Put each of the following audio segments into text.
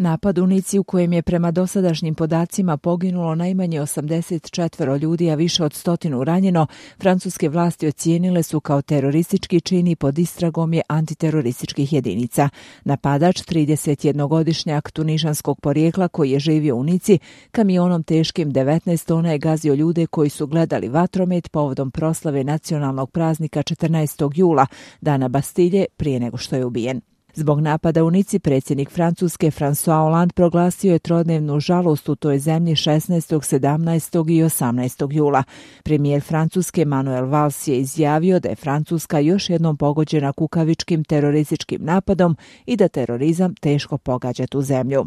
Napad u Nici u kojem je prema dosadašnjim podacima poginulo najmanje 84 ljudi, a više od 100 ranjeno, francuske vlasti ocijenile su kao teroristički čin i pod istragom je antiterorističkih jedinica. Napadač, 31-godišnjak tunižanskog porijekla koji je živio u Nici, kamionom teškim 19 tona je gazio ljude koji su gledali vatromet povodom proslave nacionalnog praznika 14. jula, dana Bastilje, prije nego što je ubijen. Zbog napada u Nici predsjednik Francuske François Hollande proglasio je trodnevnu žalost u toj zemlji 16., 17. i 18. jula. Premijer Francuske Manuel Valls je izjavio da je Francuska još jednom pogođena kukavičkim terorističkim napadom i da terorizam teško pogađa tu zemlju.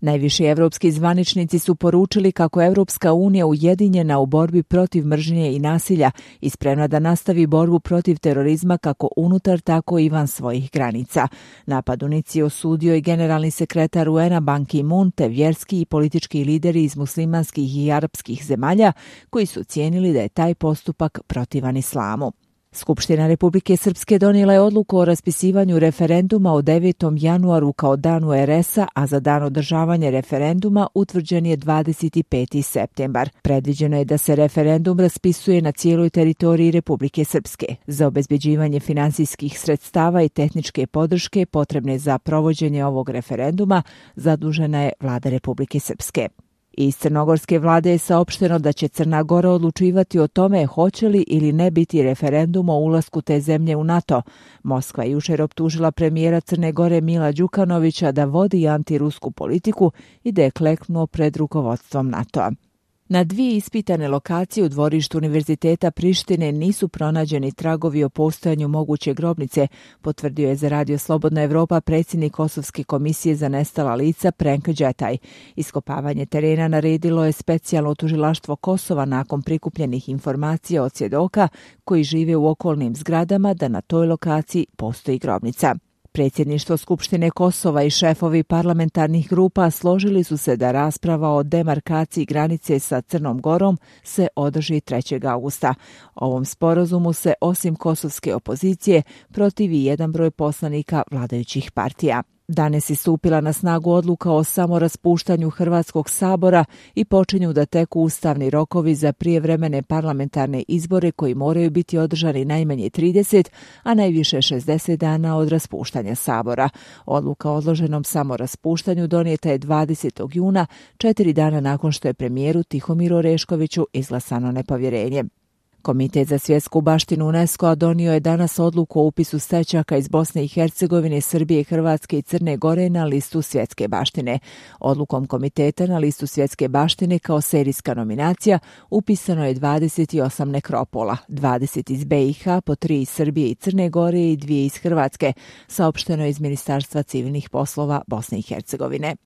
Najviši evropski zvaničnici su poručili kako je Evropska unija ujedinjena u borbi protiv mržnje i nasilja i spremna da nastavi borbu protiv terorizma kako unutar, tako i van svojih granica. Napad u Nici je osudio i generalni sekretar UN-a Ban Ki-moon te vjerski i politički lideri iz muslimanskih i arapskih zemalja koji su cijenili da je taj postupak protivan islamu. Skupština Republike Srpske donijela je odluku o raspisivanju referenduma o 9. januaru kao danu RS-a, a za dan održavanja referenduma utvrđen je 25. septembar. Predviđeno je da se referendum raspisuje na cijeloj teritoriji Republike Srpske. Za obezbeđivanje finansijskih sredstava i tehničke podrške potrebne za provođenje ovog referenduma zadužena je vlada Republike Srpske. Iz crnogorske vlade je saopšteno da će Crna Gora odlučivati o tome hoće li ili ne biti referendum o ulasku te zemlje u NATO. Moskva je jučer optužila premijera Crne Gore Mila Đukanovića da vodi antirusku politiku i da je kleknuo pred rukovodstvom NATO-a. Na 2 ispitane lokacije u dvorištu Univerziteta Prištine nisu pronađeni tragovi o postojanju moguće grobnice, potvrdio je za Radio Slobodna Evropa predsjednik Kosovske komisije za nestala lica Prenk Đetaj. Iskopavanje terena naredilo je specijalno tužilaštvo Kosova nakon prikupljenih informacija od svjedoka koji žive u okolnim zgradama da na toj lokaciji postoji grobnica. Predsjedništvo Skupštine Kosova i šefovi parlamentarnih grupa složili su se da rasprava o demarkaciji granice sa Crnom Gorom se održi 3. augusta. Ovom sporazumu se osim kosovske opozicije protivi jedan broj poslanika vladajućih partija. Danas je stupila na snagu odluka o samoraspuštanju Hrvatskog sabora i počinju da teku ustavni rokovi za prijevremene parlamentarne izbore koji moraju biti održani najmanje 30, a najviše 60 dana od raspuštanja sabora. Odluka o odloženom samoraspuštanju donijeta je 20. juna, 4 dana nakon što je premijeru Tihomiru Oreškoviću izglasano nepovjerenje. Komitet za svjetsku baštinu UNESCO-a donio je danas odluku o upisu stećaka iz Bosne i Hercegovine, Srbije, Hrvatske i Crne Gore na listu svjetske baštine. Odlukom komiteta na listu svjetske baštine kao serijska nominacija upisano je 28 nekropola, 20 iz BiH, po 3 iz Srbije i Crne Gore i 2 iz Hrvatske, saopšteno je iz Ministarstva civilnih poslova Bosne i Hercegovine.